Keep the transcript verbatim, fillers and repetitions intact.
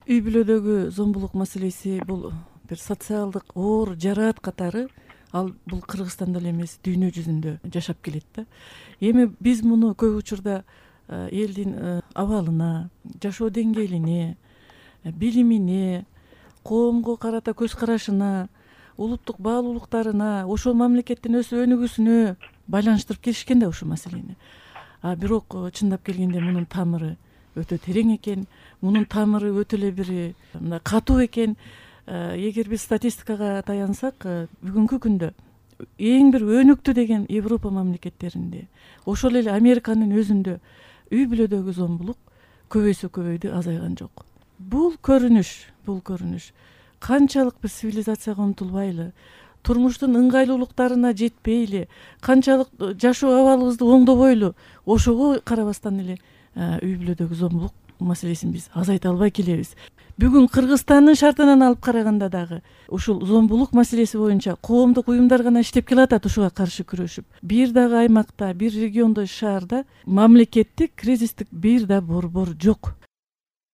Үй бүлөдөгү зомбулук маселеси бул бир социалдык оор жараат катары, ал бул Кыргызстанда эле эмес, дүйнө жүзүндө жашап келет да. Эми биз муну көп учурда элдин абалына, жашоо деңгээлине, билимине, коомго карата көз карашына, улуттук баалуулуктарына, ошол мамлекеттин өсүп өнүгүүсүнө байланыштырып келишкен да ушул маселени. А бирок чындап келгенде мунун тамыры өтө терең экен, мунун тамыры өтө эле бир мындай катуу экен. Эгер биз статистикага таянсак, бүгүнкү күндө эң бир өнүктү деген Европа мамлекеттеринде, ошол эле Американын өзүндө үй бүлөдөгү зомбулук көбөйсө көбөйдү, азайган жок. Бул көрүнүш, бул көрүнүш канчалык биз цивилизацияга умтулбайлы, турмуштун ыңгайлуулуктарына жетпейли, канчалык жашоо абалыбызды оңдобойлу, ошого карабастан эле үй бүлөдөгү зомбулук маселесин биз азайта албай келебиз. Бүгүн Кыргызстандын шартынан алып караганда дагы ушул зомбулук маселеси боюнча коомдук уюмдар гана иштеп келатат ушуга каршы күрөшүп. Бир дагы аймакта, бир региондо, шаарда мамлекеттик кризистик бир да борбор жок.